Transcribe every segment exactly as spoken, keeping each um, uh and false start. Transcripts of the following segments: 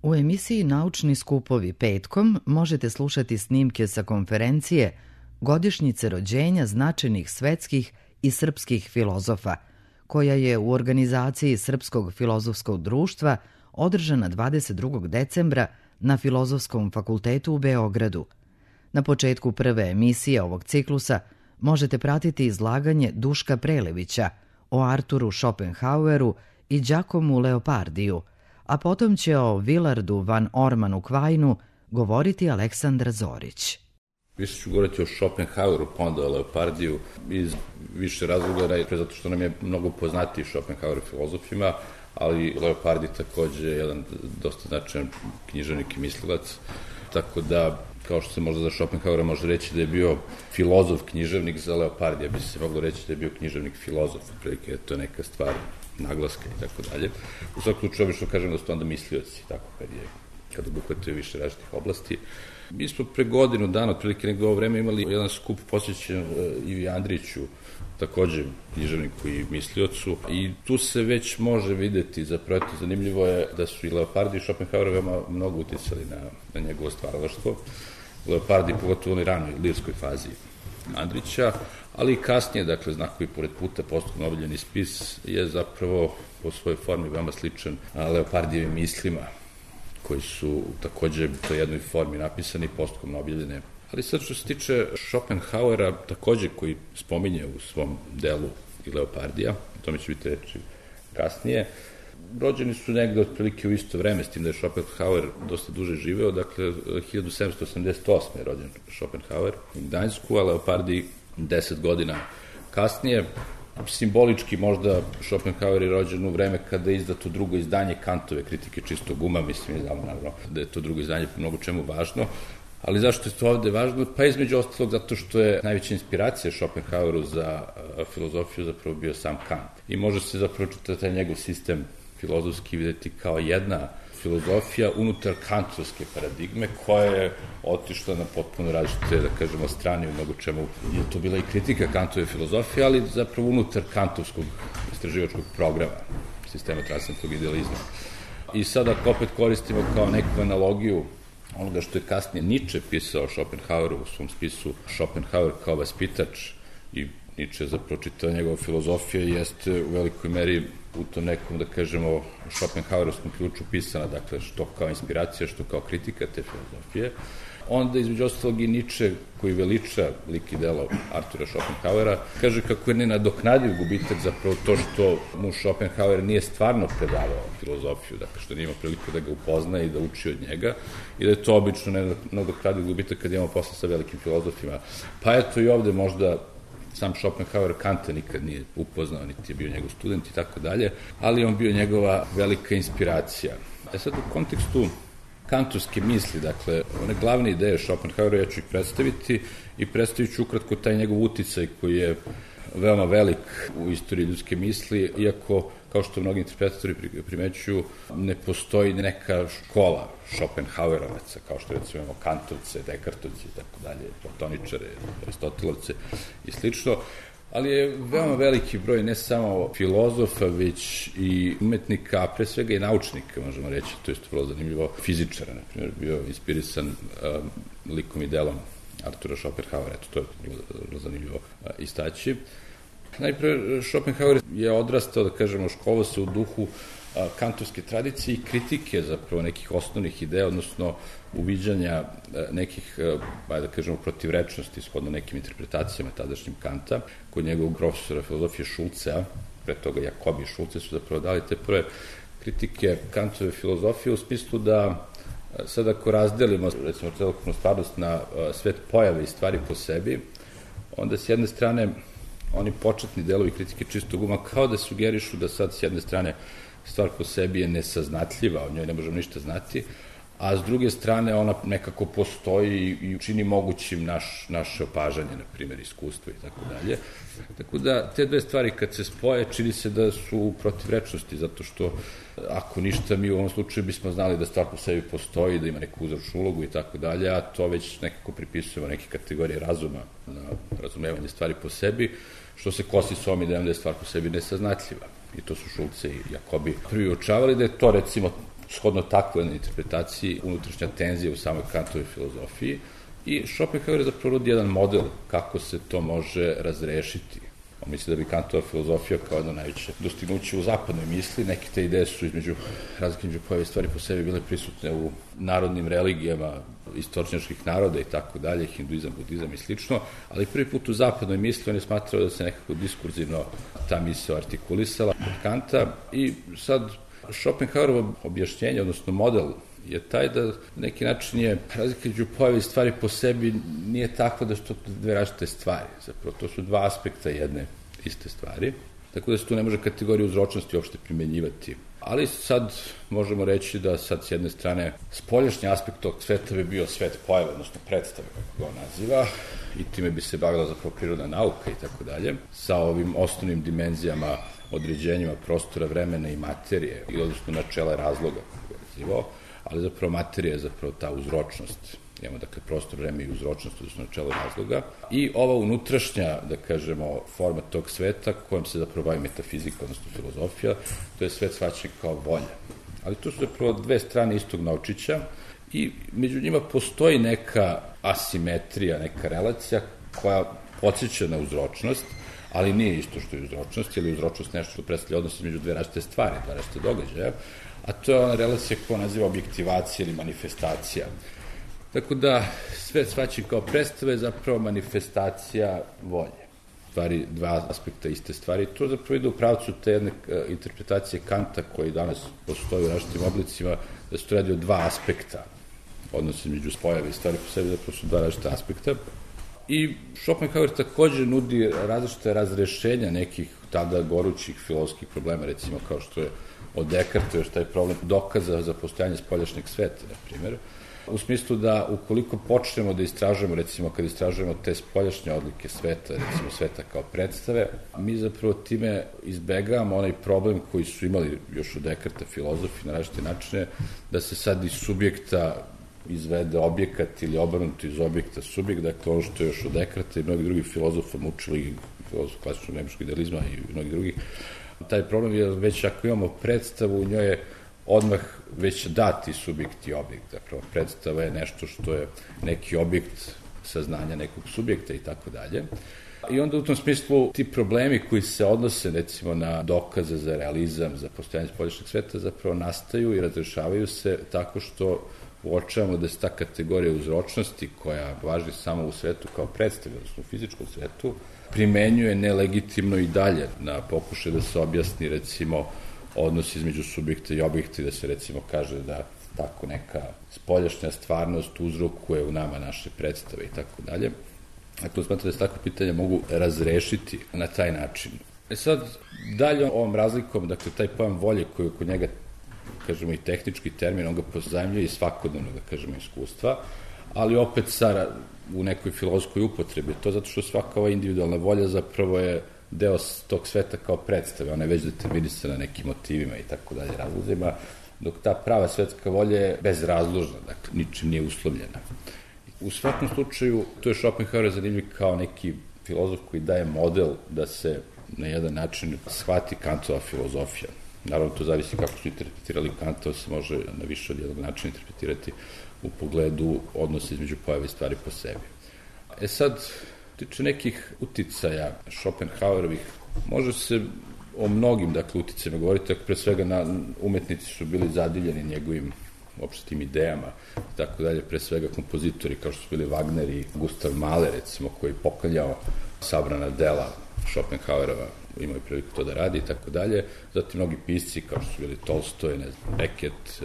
U emisiji Naučni skupovi petkom možete slušati snimke sa konferencije Godišnjice rođenja značajnih svetskih i srpskih filozofa, koja je u organizaciji Srpskog filozofskog društva održana dvadeset drugog decembra na Filozofskom fakultetu u Beogradu. Na početku prve emisije ovog ciklusa možete pratiti izlaganje Duška Prelevića o Arturu Schopenhaueru i Giacomu Leopardiju, a potom će o Willardu van Ormanu Quainu govoriti Aleksandar Zorić. Više ću govoriti o Schopenhaueru, pa onda o Leopardiju, iz više razloga, zato što nam je mnogo poznatiji Schopenhauer filozofima, ali Leopardi takođe je jedan dosta značajan književnik i mislilac, tako da, kao što se možda za Schopenhauera može reći da je bio filozof književnik, za Leopardija bi se moglo reći da je bio književnik filozof, prilike to je neka stvar naglaska i tako dalje. U svakom slučaju, obično kažem da su to onda mislioci, tako kad je, kad obuhvataju više različitih oblasti. Mi smo pre godinu dana, otprilike nego ovo vreme, imali jedan skup posvećen Ivi Andriću, takođe književniku i misliocu, i tu se već može videti, zapravo to zanimljivo je da su i Leopardi i Schopenhauer veoma mnogo uticali na, na njegovo stvaralaštvo. Leopardi pogotovo u onoj ranoj lirskoj fazi Andrića, ali i kasnije, dakle, Znakovi pored puta, postupno objavljeni spis je zapravo po svojoj formi veoma sličan Leopardijevim mislima, koji su takođe u toj jednoj formi napisani, postupno objavljene. Ali sad što se tiče Schopenhauera, takođe koji spominje u svom delu i Leopardija, o tome će biti reči kasnije, rođeni su negde otprilike u isto vreme, s tim da je Schopenhauer dosta duže živeo, dakle hiljadu sedamsto osamdeset osme je rođen Schopenhauer u Gdańsku, a Leopardi deset godina kasnije. Simbolički možda Schopenhauer je rođen u vreme kada je izdato drugo izdanje Kantove Kritike čistog uma, mislim je znamo naravno da je to drugo izdanje po mnogo čemu važno, ali zašto je to ovde važno? Pa između ostalog zato što je najveća inspiracija Schopenhaueru za filozofiju zapravo bio sam Kant. I može se zapravo čitati taj njegov sistem filozofski videti kao jedna filozofija unutar kantovske paradigme koja je otišla na potpuno različite, da kažemo, strane u mnogo čemu. Je to bila i kritika Kantove filozofije, ali zapravo unutar kantovskog istraživačkog programa, sistema transcendentnog idealizma. I sada ako opet koristimo kao neku analogiju onoga što je kasnije Nietzsche pisao o Schopenhaueru u svom spisu Schopenhauer kao vaspitač, i Nietzsche zapravo čitao njegova filozofija jeste u velikoj meri u tom nekom, da kažemo, Schopenhauerovskom ključu pisana, dakle, što kao inspiracija, što kao kritika te filozofije. Onda, između ostalog, i Nietzsche, koji veliča lik i delo Artura Schopenhauera, kaže kako je nenadoknadiv gubitak zapravo to što mu Schopenhauer nije stvarno predavao filozofiju, dakle, što nije imao priliku da ga upozna i da uči od njega, i da je to obično nenadoknadiv gubitak kad imamo posla sa velikim filozofima. Pa eto i ovde možda sam Schopenhauer Kanta nikad nije upoznao, niti je bio njegov student i tako dalje, ali on bio njegova velika inspiracija. E sad, u kontekstu kantovske misli, dakle, one glavne ideje Schopenhauera, ja ću ih predstaviti i predstavit ću ukratko taj njegov uticaj koji je veoma velik u istoriji ljudske misli, iako, kao što mnogi interpretatori primećuju, ne postoji neka škola Schopenhauerovaca, kao što recimo imamo Kantovce, Dekartovce i tako dalje, Platoničare, Aristotelovce i slično, ali je veoma veliki broj ne samo filozofa, već i umetnika, a pre svega i naučnika, možemo reći, to je vrlo zanimljivo, fizičara, na primjer, bio inspirisan um, likom i delom Artura Schopenhauera, eto, to je vrlo zanimljivo uh, istaći. Najpre, Schopenhauer je odrastao, da kažemo, školovao se u duhu a, kantovske tradicije i kritike zapravo nekih osnovnih ideja, odnosno uviđanja a, nekih, a, da kažemo, protivrečnosti shodno nekim interpretacijama tadašnjim Kanta, kod njegovog profesora filozofije Šulcea, pre toga Jakobi i Šulce su zapravo dali te prve kritike Kantove filozofije u smislu da sad ako razdelimo, recimo, celokupnu stvarnost na a, svet pojave i stvari po sebi, onda s jedne strane oni početni delovi kritike čistog uma kao da sugerišu da sad s jedne strane stvar po sebi je nesaznatljiva, o njoj ne možemo ništa znati, a s druge strane ona nekako postoji i čini mogućim naš, naše opažanje, na primjer iskustvo i tako dalje. Tako da te dve stvari kad se spoje čini se da su u protivrečnosti, zato što ako ništa mi u ovom slučaju bismo znali da stvar po sebi postoji, da ima neku uzročnu ulogu i tako dalje, a to već nekako pripisujemo neke kategorije razuma na razumevanje stvari po sebi, što se kosi s ovom idejom da je stvar po sebi nesaznatljiva. I to su Šulce i Jakobi prvi uočavali, da je to recimo shodno takvoj interpretaciji unutrašnja tenzija u samoj Kantovoj filozofiji i Schopenhauer je zapravo rodi jedan model kako se to može razrešiti. On misli da bi Kantova filozofija kao jedno najveće dostignuće u zapadnoj misli. Neke te ideje su između razlike među pojave stvari po sebi bile prisutne u narodnim religijama istočnjačkih naroda i tako dalje, hinduizam, budizam i slično, ali prvi put u zapadnoj misli on je smatrao da se nekako diskurzivno ta misao artikulisala kod Kanta i sad Schopenhauerovo objašnjenje, odnosno model je taj da na neki način je razlika među pojave stvari po sebi nije takva da su to dve različite stvari. Zapravo, to su dva aspekta jedne iste stvari, tako da se tu ne može kategorija uzročnosti uopšte primenjivati. Ali sad možemo reći da sad s jedne strane spoljašnji aspekt tog sveta bi bio svet pojave, odnosno predstave, kako ga on naziva, i time bi se bavila zapravo prirodna nauka i tako dalje, sa ovim osnovnim dimenzijama, određenjima prostora, vremena i materije, i odnosno načela razloga, kako ga nazivao, ali zapravo materija je zapravo ta uzročnost. Imamo, dakle, prostor, vreme i uzročnost, odnosno načelo razloga. I ova unutrašnja, da kažemo, forma tog sveta, kojom se zapravo bavi metafizika, odnosno filozofija, to je svet shvaćen kao volja. Ali to su zapravo dve strane istog naučića i među njima postoji neka asimetrija, neka relacija koja podsjeća na uzročnost, ali nije isto što je uzročnost, jer je uzročnost nešto što predstavlja odnos između dve različite stvari, dva različite događaja, a to je ona relacija koja naziva objektivacija ili manifestacija. Tako da sve shvaćen kao predstave je zapravo manifestacija volje. Stvari, dva aspekta iste stvari. To zapravo ide u pravcu te jedne interpretacije Kanta koji danas postoji u različitim oblicima, da se to radi o dva aspekta. Odnos između pojave i stvari po sebi zapravo su dva različita aspekta. I Schopenhauer takođe nudi različite razrešenja nekih tada gorućih filozofskih problema, recimo kao što je od Descartes još taj problem dokaza za postojanje spoljašnjeg sveta, na primjer, u smislu da ukoliko počnemo da istražujemo, recimo kad istražujemo te spoljašnje odlike sveta, recimo sveta kao predstave, mi zapravo time izbegavamo onaj problem koji su imali još u Descartes filozofi na različite načine, da se sad iz subjekta izvede objekat ili obrnuto iz objekta subjekt, dakle ono što je još od Descartesa i mnogi drugi filozofa mučili, filozof klasičnog nemačkog idealizma i mnogi drugih. Taj problem je već ako imamo predstavu, u njoj je odmah već dati subjekt i objekt. Zapravo predstava je nešto što je neki objekt saznanja nekog subjekta i tako dalje. I onda u tom smislu ti problemi koji se odnose recimo na dokaze za realizam, za postojanje spoljašnjeg sveta zapravo nastaju i razrešavaju se tako što uočavamo da se ta kategorija uzročnosti koja važi samo u svetu kao predstave, odnosno u fizičkom svetu, primenjuje nelegitimno i dalje na pokušaj da se objasni recimo odnos između subjekta i objekta i da se recimo kaže da tako neka spoljašnja stvarnost uzrokuje u nama naše predstave i tako dalje. Dakle, smatram da se takve pitanja mogu razrešiti na taj način. E sad, dalje ovom razlikom, dakle, taj pojam volje koji oko njega, kažemo i tehnički termin, on ga pozajmljuje i svakodnevno, da kažemo, iskustva, ali opet sa, u nekoj filozofskoj upotrebi. To zato što svaka ova individualna volja zapravo je deo tog sveta kao predstave, ona je već determinisana nekim motivima i tako dalje, razlozima, dok ta prava svetska volja je bezrazložna, dakle, ničim nije uslovljena. U svakom slučaju, to je Schopenhauer zanimljiv kao neki filozof koji daje model da se na jedan način shvati Kantova filozofija. Naravno, to zavisi kako su interpretirali Kanta, se može na više od jednog načina interpretirati u pogledu odnosa između pojave i stvari po sebi. E sad, tiče nekih uticaja Schopenhauerovih, može se o mnogim, dakle, uticajima govoriti, ako pre svega na umetnici su bili zadivljeni njegovim uopšte tim idejama i tako dalje, pre svega kompozitori kao što su bili Wagner i Gustav Mahler, recimo, koji je poklanjao sabrana dela Schopenhauerova, imaju priliku to da radi i tako dalje. Zatim mnogi pisci kao što su bili Tolstoj, ne znam, Beckett,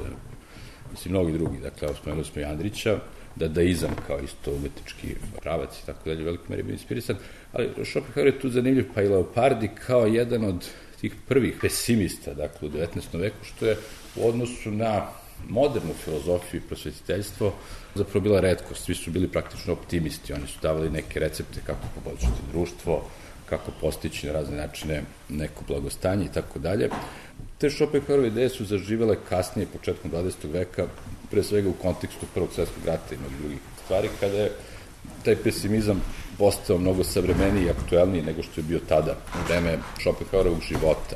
mislim, mnogi drugi, dakle, spomenuli smo i Andrića, dadaizam kao isto umetnički pravac i tako dalje, veliko meri bio inspirisan, ali Schopenhauer je tu zanimljiv, pa i Leopardi kao jedan od tih prvih pesimista, dakle, u devetnaestom veku, što je u odnosu na modernu filozofiju i prosvetiteljstvo zapravo bila retkost. Svi su bili praktično optimisti, oni su davali neke recepte kako poboljšati društvo, kako postići na razne načine neko blagostanje i tako dalje. Te Schopenhauerove ideje su zaživele kasnije, početkom dvadesetog veka, pre svega u kontekstu Prvog svjetskog rata i mnogih drugih stvari, kada je taj pesimizam postao mnogo savremeniji i aktuelniji nego što je bio tada u vreme Schopenhauerovog života.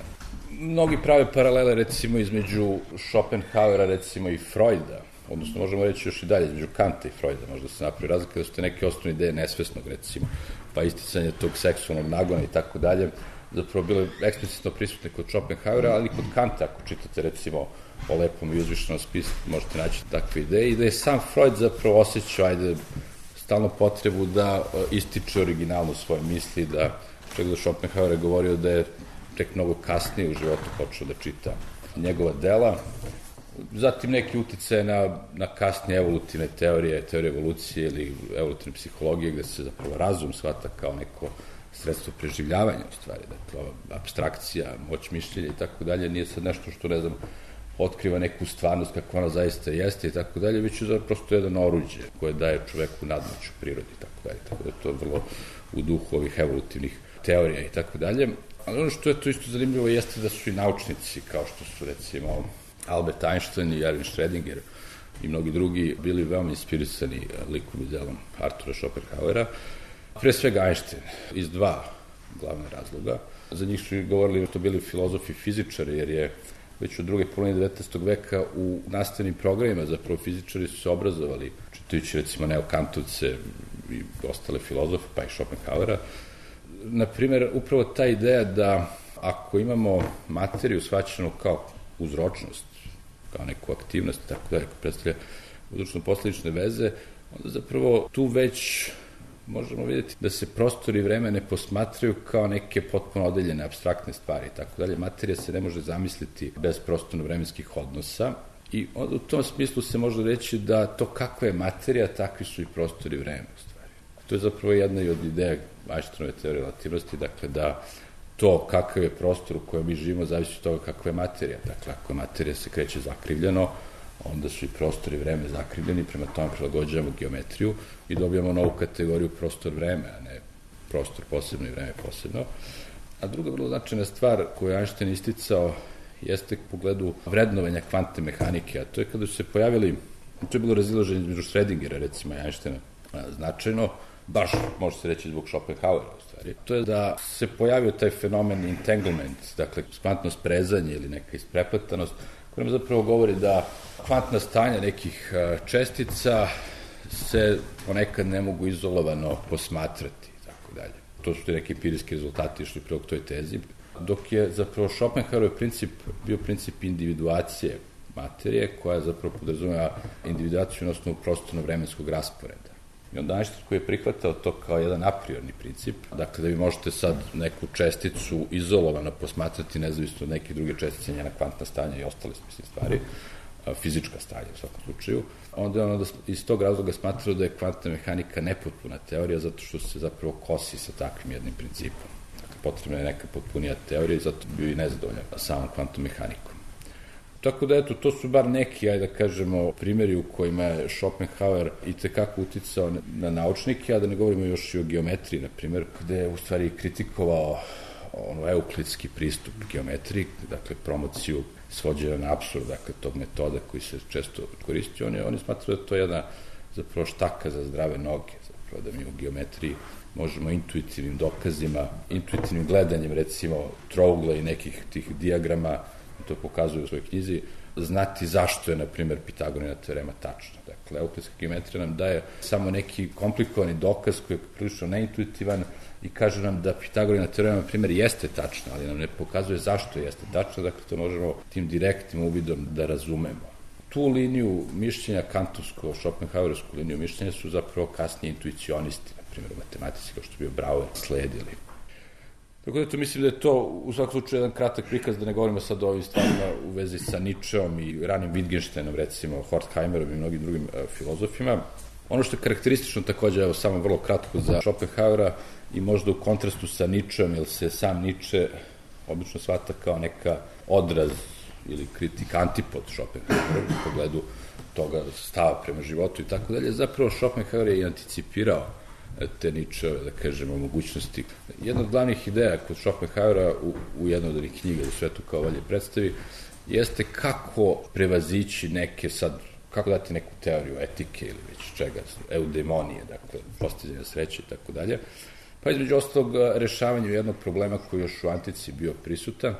Mnogi prave paralele recimo između Schopenhauera recimo i Freuda, odnosno možemo reći još i dalje, između Kanta i Freuda, možda se napravi razlika da su te neke osnovne ideje nesvesnog recimo, pa isticanje tog seksualnog nagona i tako dalje, zapravo bile eksplicitno prisutne kod Schopenhauera, ali kod Kanta, ako čitate recimo o lepom i uzvišenom spisku, možete naći takve ideje, i da je sam Freud zapravo osjećao, ajde, stalno potrebu da ističe originalno svoje misli, da čak da Schopenhauer je govorio da je tek mnogo kasnije u životu počeo da čita njegova dela. Zatim neki utice na, na kasnije evolutivne teorije, teorije evolucije ili evolutivne psihologije, gde se zapravo razum shvata kao neko sredstvo preživljavanja u stvari, dakle, apstrakcija, moć mišljenja i tako dalje, nije sad nešto što, ne znam, otkriva neku stvarnost kako ona zaista jeste i tako dalje, već je prosto jedan oruđe koje daje čoveku nadmoć u prirodi i tako dalje, tako da je to vrlo u duhu ovih evolutivnih teorija i tako dalje. Ali ono što je to isto zanimljivo jeste da su i naučnici, kao što su recimo Albert Einstein i Erwin Schrödinger i mnogi drugi, bili veoma inspirisani likom i delom Artura Schopenhauera. Pre svega Einstein, iz dva glavne razloga. Za njih su govorili da to bili filozofi i fizičari, jer je već od druge polovine devetnaestog veka u nastavnim programima zapravo fizičari su se obrazovali, čitajući recimo neokantovce i ostale filozofe, pa i Schopenhauera. Naprimer, upravo ta ideja da ako imamo materiju shvaćenu kao uzročnost, kao neku aktivnost, tako da je predstavlja uzročno-posledične veze, onda zapravo tu već možemo vidjeti da se prostor i vreme ne posmatraju kao neke potpuno odeljene, apstraktne stvari, tako dalje. Materija se ne može zamisliti bez prostorno-vremenskih odnosa i onda u tom smislu se može reći da to kakva je materija, takvi su i prostor i vreme u stvari. To je zapravo jedna i od ideja Einsteinove teorije relativnosti, dakle da to kakav je prostor u kojem mi živimo zavisi od toga kakva je materija. Dakle, ako je materija se kreće zakrivljeno, onda su i prostor i vreme zakrivljeni, prema tome prilagođavamo geometriju i dobijamo novu kategoriju prostor-vreme, a ne prostor posebno i vreme posebno. A druga vrlo značajna stvar koju je Einstein isticao jeste u pogledu vrednovanja kvantne mehanike, a to je kada su se pojavili, to je bilo razilaženje između Schrödingera, recimo, i Einsteina značajno, baš može se reći zbog Schopenhauera u stvari. To je da se pojavio taj fenomen entanglement, dakle kvantno sprezanje ili neka isprepletanost, koja nam zapravo govori da kvantna stanja nekih čestica se ponekad ne mogu izolovano posmatrati i tako dalje. To su ti neki empirijski rezultati išli prilog toj tezi, dok je zapravo Schopenhauerov princip bio princip individuacije materije, koja zapravo podrazumeva individuaciju na osnovu prostorno-vremenskog rasporeda. I onda Einstein koji je prihvatao to kao jedan a priorni princip, dakle da vi možete sad neku česticu izolovano posmatrati nezavisno od neke druge čestice, njena kvantna stanja i ostale mislim, stvari, fizička stanja u svakom slučaju, onda je ono iz tog razloga smatrao da je kvantna mehanika nepotpuna teorija zato što se zapravo kosi sa takvim jednim principom. Dakle, potrebna je neka potpunija teorija i zato bio i nezadovoljan samom kvantnom mehanikom. Tako da, eto, to su bar neki, ajde da kažemo, primjeri u kojima je Schopenhauer i tekako uticao na naučnike, a da ne govorimo još i o geometriji, na primjer, gde je u stvari kritikovao ono euklidski pristup geometriji, dakle, promociju svođenja na apsurd, dakle, tog metoda koji se često koristi. Oni, oni smatraju da to je jedna, zapravo, štaka za zdrave noge, zapravo, da mi u geometriji možemo intuitivnim dokazima, intuitivnim gledanjem, recimo, trougla i nekih tih dijagrama, to pokazuju u svojoj knjizi, znati zašto je, na primjer, Pitagorina teorema tačna. Dakle, euklidska geometrija nam daje samo neki komplikovani dokaz koji je prilično neintuitivan i kaže nam da Pitagorina teorema, na primjer, jeste tačna, ali nam ne pokazuje zašto jeste tačna, dakle, to možemo tim direktnim uvidom da razumemo. Tu liniju mišljenja, kantovsko, Schopenhauersku liniju mišljenja su zapravo kasnije intuicionisti, na primjer, u matematici, kao što je bio Brouwer, sledili. Tako da to mislim da je to u svakom slučaju jedan kratak prikaz, da ne govorimo sad o ovim stvarima u vezi sa Nietzscheom i ranim Wittgensteinom, recimo Horkheimerom i mnogim drugim uh, filozofima. Ono što je karakteristično takođe, evo samo vrlo kratko za Schopenhauera i možda u kontrastu sa Nietzscheom, jer se sam Nietzsche obično shvata kao neka odraz ili kritik antipod Schopenhauera u pogledu toga stava prema životu i tako dalje. Zapravo Schopenhauer je i anticipirao te Nietzscheove, da kažemo, mogućnosti. Jedna od glavnih ideja kod Schopenhauera u, u jednoj od onih knjiga u svetu kao valje predstavi jeste kako prevazići neke sad, kako dati neku teoriju etike ili već čega, eudemonije, dakle, postizanja sreće i tako dalje. Pa između ostalog rešavanju jednog problema koji još u antici bio prisutan,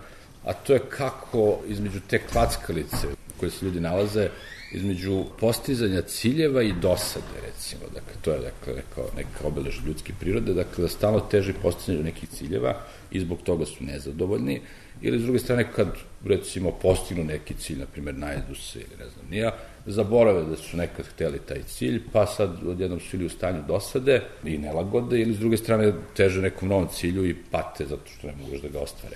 a to je kako između te klackalice koje se ljudi nalaze, između postizanja ciljeva i dosade, recimo. Dakle, to je dakle, neka, neka obelež ljudske prirode, dakle, da stalno teži postizanju nekih ciljeva i zbog toga su nezadovoljni, ili s druge strane, kad, recimo, postignu neki cilj, na primjer, najedu se ili ne znam nija, zaborave da su nekad hteli taj cilj, pa sad odjednom su ili u stanju dosade i nelagode, ili s druge strane teže nekom novom cilju i pate zato što ne mogu da ga ostvare.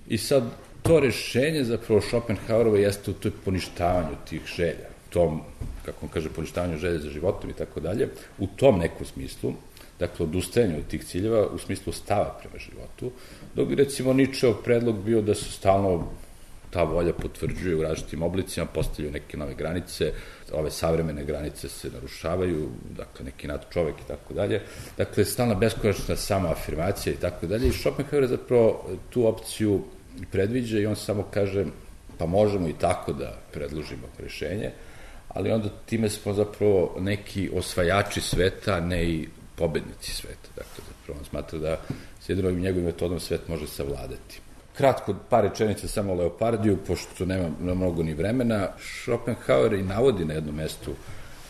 I sad, to rešenje zapravo Schopenhauerova jeste u toj poništavanju tih želja, tom, kako on kaže, poništavanju želja za životom i tako dalje, u tom nekom smislu, dakle, odustajanju od tih ciljeva u smislu stava prema životu, dok bi, recimo, Ničeov predlog bio da se stalno ta volja potvrđuje u različitim oblicima, postavljaju neke nove granice, ove savremene granice se narušavaju, dakle, neki nad čovek i tako dalje. Dakle, stalna beskonačna samoafirmacija i tako dalje. I Schopenhauer zapravo tu opciju predviđa i on samo kaže, pa možemo i tako da predložimo rešenje, ali onda time smo zapravo neki osvajači sveta, a ne i pobednici sveta. Dakle, zapravo on smatra da s jedinom njegovim metodom svet može savladati. Kratko, par rečenica samo o Leopardiju, pošto nema mnogo ni vremena. Schopenhauer i navodi na jednom mestu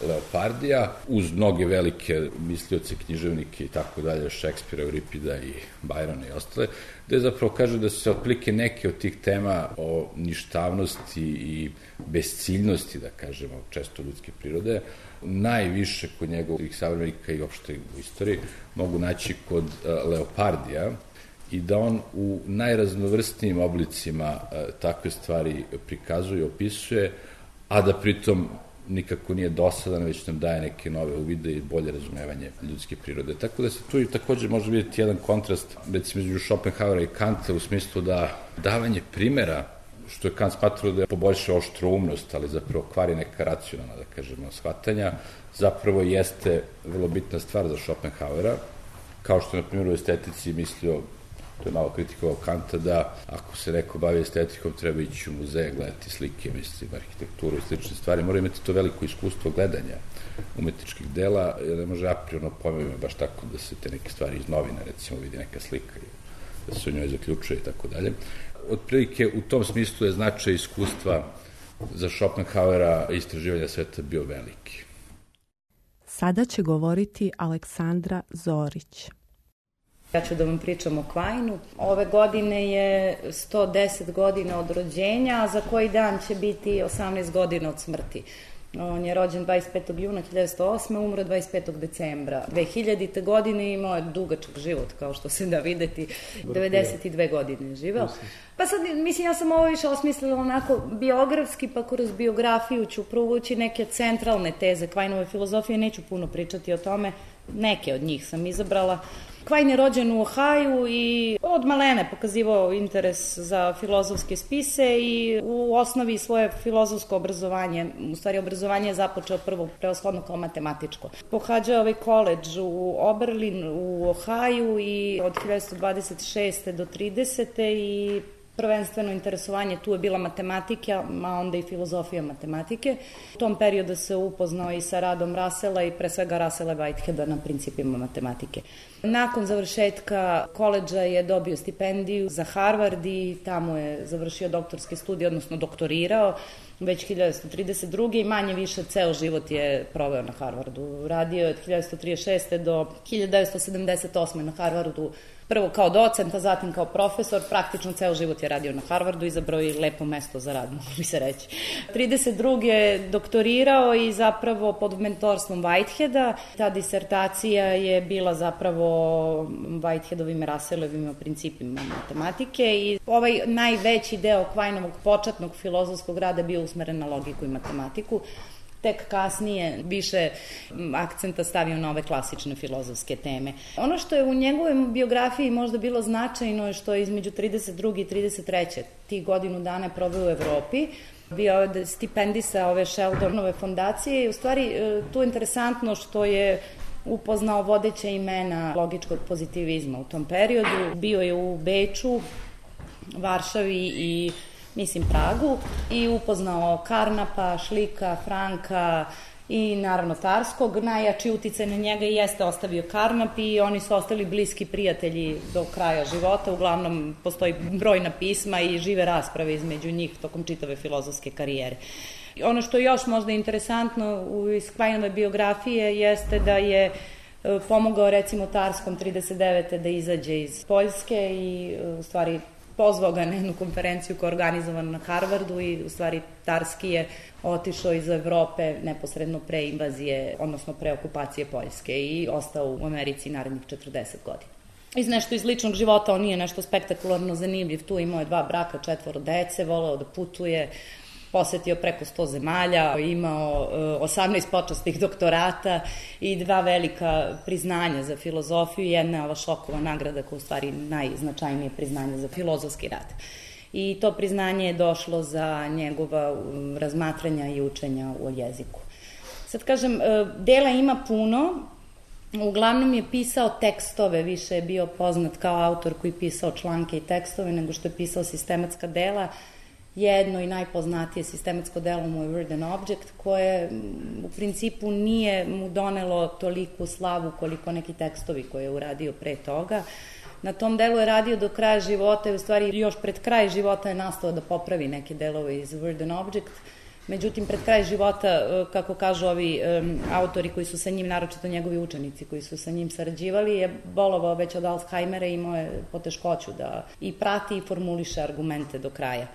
Leopardija, uz mnoge velike mislioce, književnike i tako dalje, Šekspira, Euripida i Bajrona i ostale, gde zapravo kaže da se otplike neke od tih tema o ništavnosti i besciljnosti, da kažemo, često ljudske prirode, najviše kod njegovih savremenika i opšte u istoriji mogu naći kod Leopardija, i da on u najraznovrstnijim oblicima takve stvari prikazuje i opisuje, a da pritom nikako nije dosadan, već nam daje neke nove uvide i bolje razumevanje ljudske prirode. Tako da se tu i takođe može vidjeti jedan kontrast, recimo, između Schopenhauera i Kanta, u smislu da davanje primera, što je Kant smatrao da je poboljša oštroumnost, ali zapravo kvari neka racionalna, da kažemo, shvatanja, zapravo jeste vrlo bitna stvar za Schopenhauera, kao što je, na primjer, u estetici mislio, to je malo kritikovao Kanta, da ako se neko bavi estetikom, treba ići u muzeje, gledati slike, mislim, arhitekturu i slične stvari, mora imati to veliko iskustvo gledanja umetničkih dela, jer ne može apriorno pojmevima baš tako da se te neke stvari iz novina, recimo, vidi neka slika i da se o njoj zaključuje i tako dalje. Otprilike, u tom smislu je značaj iskustva za Schopenhauera istraživanja sveta bio veliki. Sada će govoriti Aleksandra Zorić. Ja ću da vam pričam o Quineu. Ove godine je sto deset godina od rođenja, a za koji dan će biti osamnaest godina od smrti. On je rođen dvadeset petog juna hiljadu devetsto osme. umro dvadeset petog decembra dve hiljadite. godine i imao je dugačak život, kao što se da videti, devedeset dve godine je živeo. Pa sad, mislim, ja sam ovo više osmislila onako biografski, pa kroz biografiju ću provući neke centralne teze Quineve filozofije, neću puno pričati o tome, neke od njih sam izabrala. Quine je rođen u Ohaju i od malene pokazivao interes za filozofske spise i u osnovi svoje filozofsko obrazovanje, u stvari obrazovanje je započeo prvo prevashodno kao matematičko. Pohađao ovaj koledž u Oberlin u Ohaju i od hiljadu devetsto dvadeset šeste do tridesete i prvenstveno interesovanje tu je bila matematika, a onda i filozofija matematike. U tom periodu se upoznao i sa radom Russella i pre svega Russella Whiteheada na principima matematike. Nakon završetka koledža je dobio stipendiju za Harvard i tamo je završio doktorske studije, odnosno doktorirao već hiljadu devetsto trideset druge. i manje više ceo život je proveo na Harvardu. Radio je od hiljadu devetsto trideset šeste do hiljadu devetsto sedamdeset osme na Harvardu, prvo kao docent, a zatim kao profesor. Praktično ceo život je radio na Harvardu, izabrao je lepo mesto za rad, mogu bi se reći. trideset druge je doktorirao i zapravo pod mentorstvom Whiteheada. Ta disertacija je bila zapravo Whiteheadovim i Russellevim principima matematike i ovaj najveći deo Quineovog početnog filozofskog rada bio usmeren na logiku i matematiku. Tek kasnije više akcenta stavio na ove klasične filozofske teme. Ono što je u njegovoj biografiji možda bilo značajno je što je između trideset druge i trideset treće tih godinu dana proveo u Evropi. Bio je stipendisa ove Sheldonove fondacije i u stvari tu je interesantno što je upoznao vodeća imena logičkog pozitivizma u tom periodu. Bio je u Beču, Varšavi i mislim Pragu, i upoznao Karnapa, Šlika, Franka i naravno Tarskog. Najjači uticaj na njega jeste ostavio Karnap i oni su ostali bliski prijatelji do kraja života. Uglavnom postoji brojna pisma i žive rasprave između njih tokom čitave filozofske karijere. Ono što je još možda interesantno iz Quainove biografije jeste da je pomogao recimo Tarskom trideset devete da izađe iz Poljske i u stvari pozvao ga na jednu konferenciju koja je organizovana na Harvardu i u stvari Tarski je otišao iz Evrope neposredno pre invazije, odnosno pre okupacije Poljske i ostao u Americi narednih četrdeset godina. Iz nešto iz ličnog života on nije nešto spektakularno zanimljiv, tu imao je dva braka, četvoro dece, voleo da putuje, posetio preko sto zemalja, imao osamnaest počasnih doktorata i dva velika priznanja za filozofiju, jedna je ova Šokova nagrada koja je u stvari najznačajnije priznanje za filozofski rad. I to priznanje je došlo za njegova razmatranja i učenja o jeziku. Sad kažem, dela ima puno, uglavnom je pisao tekstove, više je bio poznat kao autor koji je pisao članke i tekstove nego što je pisao sistematska dela. Jedno i najpoznatije sistematsko delo mu je Word and Object, koje u principu nije mu donelo toliku slavu koliko neki tekstovi koje je uradio pre toga. Na tom delu je radio do kraja života i u stvari još pred kraj života je nastao da popravi neke delove iz Word and Object. Međutim, pred kraj života, kako kažu ovi um, autori koji su sa njim, naročito njegovi učenici koji su sa njim sarađivali, je bolovao već od Alzheimera i imao je poteškoću da i prati i formuliše argumente do kraja.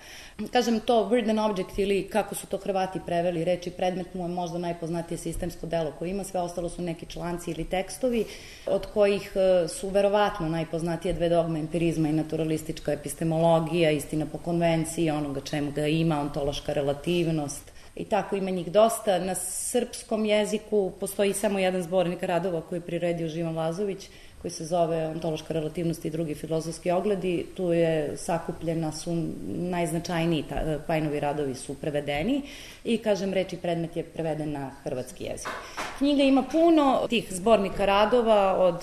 Kažem, to Word and Object ili kako su to Hrvati preveli, reči predmet mu je možda najpoznatije sistemsko delo koje ima, sve ostalo su neki članci ili tekstovi, od kojih su verovatno najpoznatije dve dogme empirizma i naturalistička epistemologija, istina po konvenciji, onoga čemu ga ima, ontološka relativnost, i tako ima njih dosta. Na srpskom jeziku postoji samo jedan zbornik radova koji je priredio Živan Lazović, koji se zove Ontološka relativnost i drugi filozofski ogledi. Tu je sakupljena, su najznačajniji Quainovi radovi su prevedeni i, kažem, reč i predmet je preveden na hrvatski jezik. Knjiga ima puno tih zbornika radova, od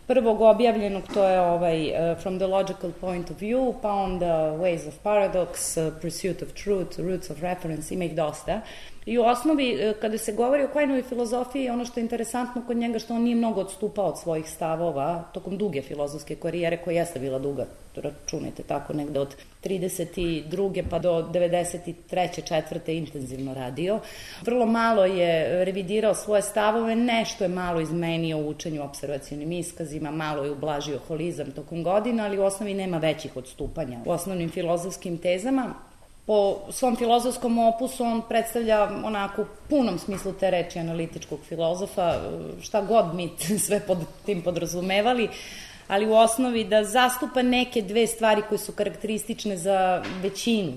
prvog objavljenog, to je ovaj uh, From the Logical Point of View, pa onda Ways of Paradox, uh, Pursuit of Truth, Roots of Reference, ima ih dosta. I u osnovi, kada se govori o Quainovoj filozofiji, ono što je interesantno kod njega, što on nije mnogo odstupao od svojih stavova tokom duge filozofske karijere, koja jeste bila duga, računajte tako, negde od trideset druge pa do devedeset treće četvrte intenzivno radio. Vrlo malo je revidirao svoje stavove, nešto je malo izmenio u učenju observacionim iskazima, malo je ublažio holizam tokom godina, ali u osnovi nema većih odstupanja u osnovnim filozofskim tezama. Po svom filozofskom opusu on predstavlja onako u punom smislu te reči analitičkog filozofa, šta god mi sve pod tim podrazumevali, ali u osnovi da zastupa neke dve stvari koje su karakteristične za većinu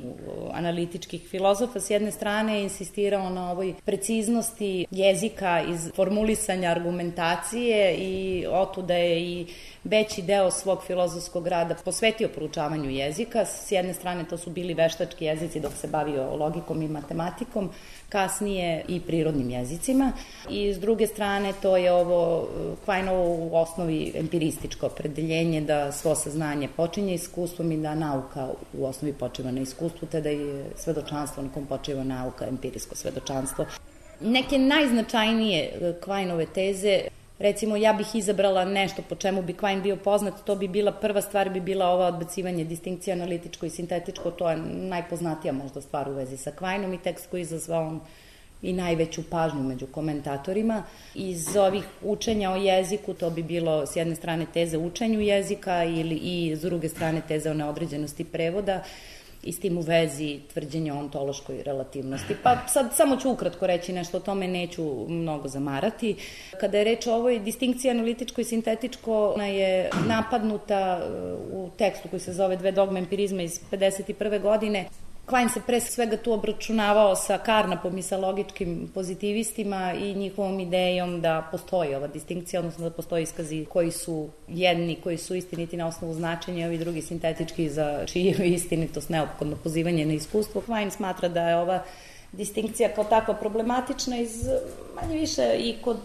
analitičkih filozofa. S jedne strane je insistirao na ovoj preciznosti jezika iz formulisanja argumentacije i otuda je i veći deo svog filozofskog rada posvetio proučavanju jezika. S jedne strane to su bili veštački jezici dok se bavio logikom i matematikom, kasnije i prirodnim jezicima. I s druge strane to je ovo Quainovo u osnovi empirističko opredeljenje da svo saznanje počinje iskustvom i da nauka u osnovi počiva na iskustvu, te da je svedočanstvo na kom počiva nauka, empirijsko svedočanstvo. Neke najznačajnije Quainove teze, recimo, ja bih izabrala nešto po čemu bi Quain bio poznat, to bi bila, prva stvar bi bila ova odbacivanje distinkcija analitičko i sintetičko, to je najpoznatija možda stvar u vezi sa Quainom i tekst koji je izazvao i najveću pažnju među komentatorima. Iz ovih učenja o jeziku to bi bilo s jedne strane teze učenju jezika ili i s druge strane teze o neodređenosti prevoda, i s tim u vezi tvrđenje o ontološkoj relativnosti. Pa sad samo ću ukratko reći nešto o tome, neću mnogo zamarati. Kada je reč o ovoj distinkciji analitičko i sintetičko, ona je napadnuta u tekstu koji se zove Dve dogme empirizma iz pedeset prve godine. Quain se pre svega tu obračunavao sa Karnapom i sa logičkim pozitivistima i njihovom idejom da postoji ova distinkcija, odnosno da postoji iskazi koji su jedni, koji su istiniti na osnovu značenja, ovi drugi sintetički za čiju istinitost neophodno pozivanje na iskustvo. Quain smatra da je ova distinkcija kao takva problematična iz manje više i kod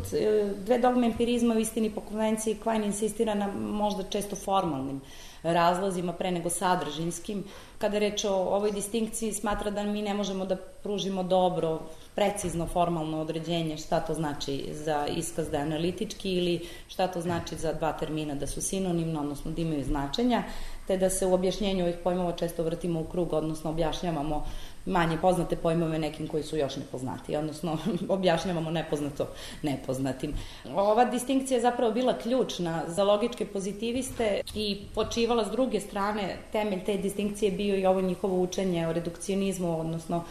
dve dogme empirizma u istini po konvenciji Quine insistira na možda često formalnim razlozima pre nego sadržinskim. Kada reč o ovoj distinkciji smatra da mi ne možemo da pružimo dobro, precizno formalno određenje šta to znači za iskaz da je analitički ili šta to znači za dva termina da su sinonimno, odnosno da imaju značenja, te da se u objašnjenju ovih pojmova često vrtimo u krug, odnosno objašnjavamo manje poznate pojmove nekim koji su još nepoznati, odnosno objašnjavamo nepoznato nepoznatim. Ova distinkcija je zapravo bila ključna za logičke pozitiviste i počivala s druge strane, temelj te distinkcije bio i ovo njihovo učenje o redukcionizmu, odnosno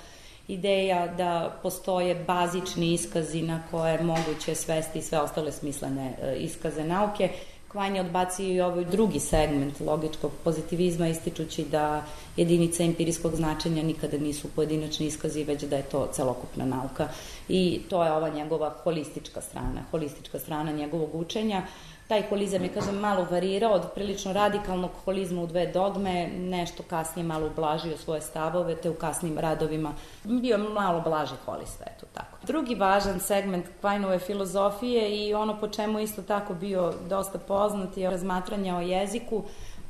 ideja da postoje bazični iskazi na koje je moguće svesti sve ostale smislene iskaze nauke. Quine je odbacio i ovaj drugi segment logičkog pozitivizma, ističući da jedinice empirijskog značenja nikada nisu pojedinačni iskazi, već da je to celokupna nauka. I to je ova njegova holistička strana, holistička strana njegovog učenja. Taj holizam je, kažem, malo varirao od prilično radikalnog holizma u dve dogme, nešto kasnije malo ublažio svoje stavove, te u kasnim radovima bio malo blaži holista, eto tako. Drugi važan segment Quineove filozofije i ono po čemu isto tako bio dosta poznat je razmatranje o jeziku.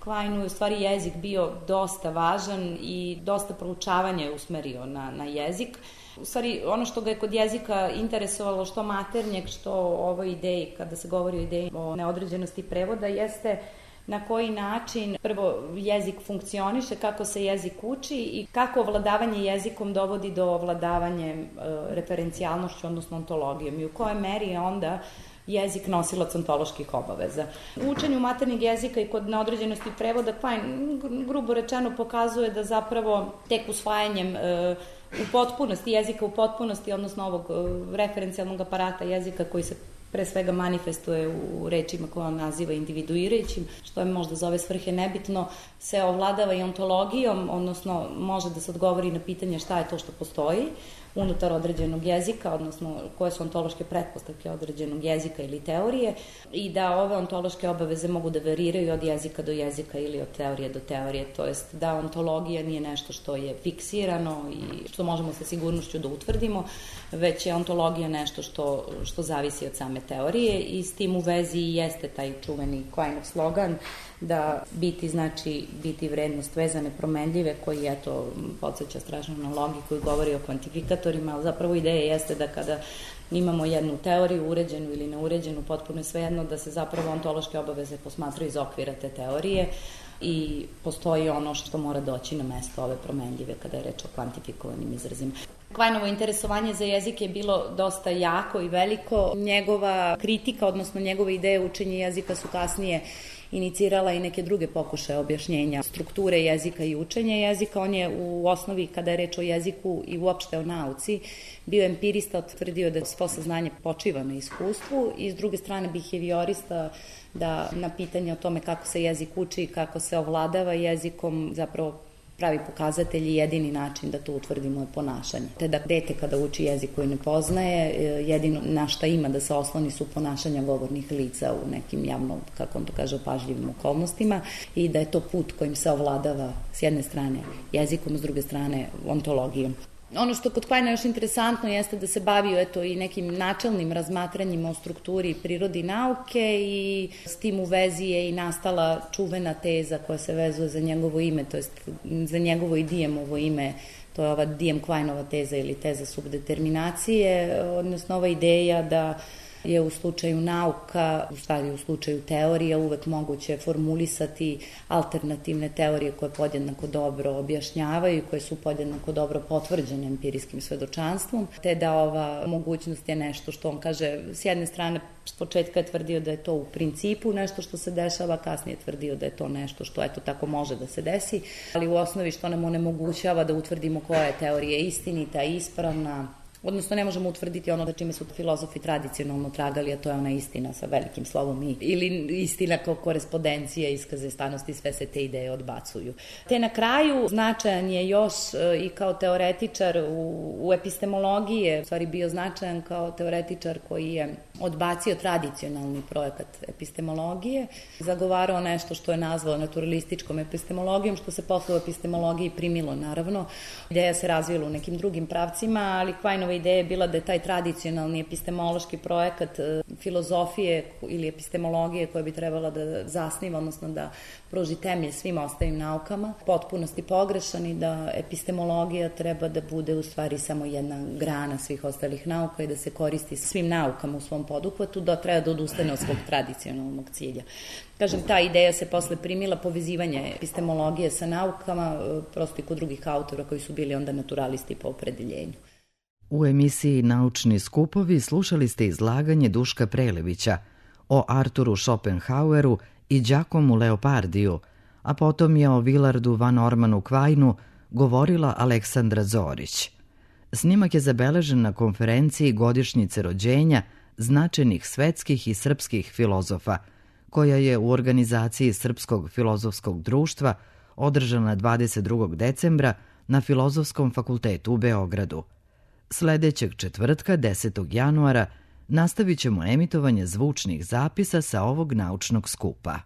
Quine je u stvari jezik bio dosta važan i dosta proučavanja je usmerio na, na jezik. U stvari, ono što ga je kod jezika interesovalo, što maternjeg, što o ovoj ideji, kada se govori o ideji o neodređenosti prevoda, jeste na koji način prvo jezik funkcioniše, kako se jezik uči i kako ovladavanje jezikom dovodi do ovladavanje e, referencijalnošću, odnosno ontologijom i u kojoj meri je onda jezik nosilac ontoloških obaveza. U učenju maternjeg jezika i kod neodređenosti prevoda Quine grubo rečeno pokazuje da zapravo tek usvajanjem e, u potpunosti jezika, u potpunosti, odnosno ovog referencijalnog aparata jezika koji se pre svega manifestuje u rečima koje on naziva individuirajućim, što je možda za ove svrhe nebitno, se ovladava i ontologijom, odnosno može da se odgovori na pitanje šta je to što postoji unutar određenog jezika, odnosno koje su ontološke pretpostavke određenog jezika ili teorije i da ove ontološke obaveze mogu da variraju od jezika do jezika ili od teorije do teorije, to jest da ontologija nije nešto što je fiksirano i što možemo sa sigurnošću da utvrdimo, već je ontologija nešto što, što zavisi od same teorije i s tim u vezi jeste taj čuveni Quineov slogan da biti znači biti vrednost vezane promenljive, koji eto podsjeća strašno na logiku i govori o kvantifikatorima, ali zapravo ideja jeste da kada imamo jednu teoriju, uređenu ili neuređenu, potpuno je svejedno da se zapravo ontološke obaveze posmatraju iz okvira te teorije i postoji ono što mora doći na mesto ove promenljive kada je reč o kvantifikovanim izrazima. Quineovo interesovanje za jezik je bilo dosta jako i veliko. Njegova kritika, odnosno njegove ideje učenja jezika su kasnije inicirala i neke druge pokušaje objašnjenja strukture jezika i učenja jezika. On je u osnovi, kada je reč o jeziku i uopšte o nauci, bio empirista, utvrdio da svo saznanje počiva na iskustvu i s druge strane behaviorista, da na pitanje o tome kako se jezik uči i kako se ovladava jezikom zapravo pravi pokazatelj i jedini način da to utvrdimo je ponašanje. Te da dete kada uči jezik koji ne poznaje, jedino na šta ima da se osloni su ponašanja govornih lica u nekim javno, kako on to kaže, opažljivim okolnostima i da je to put kojim se ovladava s jedne strane jezikom, s druge strane ontologijom. Ono što kod Quinea još interesantno jeste da se bavio eto i nekim načelnim razmatranjima o strukturi i prirodi nauke i s tim u vezi je i nastala čuvena teza koja se vezuje za njegovo ime, to jest za njegovo i Diemovo ime, to je ova Diem-Quineova teza ili teza subdeterminacije, odnosno ova ideja da je u slučaju nauka, u stvari u slučaju teorija, uvek moguće formulisati alternativne teorije koje podjednako dobro objašnjavaju i koje su podjednako dobro potvrđene empirijskim svedočanstvom, te da ova mogućnost je nešto što on kaže, s jedne strane s početka je tvrdio da je to u principu nešto što se dešava, kasnije je tvrdio da je to nešto što eto tako može da se desi, ali u osnovi što nam onemogućava da utvrdimo koja je teorija istinita, ispravna, odnosno ne možemo utvrditi ono za čime su filozofi tradicionalno tragali, a to je ona istina sa velikim slovom i, ili istina kao korespondencija, iskaze stanosti, sve se te ideje odbacuju. Te na kraju značajan je još i kao teoretičar u, u epistemologiji, je u stvari bio značajan kao teoretičar koji je odbacio tradicionalni projekat epistemologije, zagovarao nešto što je nazvao naturalističkom epistemologijom, što se posle u epistemologiji primilo, naravno. Ideja se razvila u nekim drugim pravcima, ali Quineova ideja je bila da je taj tradicionalni epistemološki projekat filozofije ili epistemologije koja bi trebala da zasniva, odnosno da pruži temelj svim ostalim naukama, potpunosti pogrešan i da epistemologija treba da bude u stvari samo jedna grana svih ostalih nauka i da se koristi svim naukama u svom poduhvatu, da treba da odustane od svog tradicionalnog cilja. Kažem, ta ideja se posle primila, povezivanje epistemologije sa naukama, prosto i kod drugih autora koji su bili onda naturalisti po opredeljenju. U emisiji Naučni skupovi slušali ste izlaganje Duška Prelevića o Arturu Schopenhaueru i Giacomu Leopardiju, a potom je o Wilardu van Ormanu Quineu govorila Aleksandra Zorić. Snimak je zabeležen na konferenciji godišnjice rođenja značajnih svetskih i srpskih filozofa, koja je u organizaciji Srpskog filozofskog društva održana dvadeset drugog decembra na Filozofskom fakultetu u Beogradu. Sledećeg četvrtka, desetog januara, nastavit ćemo emitovanje zvučnih zapisa sa ovog naučnog skupa.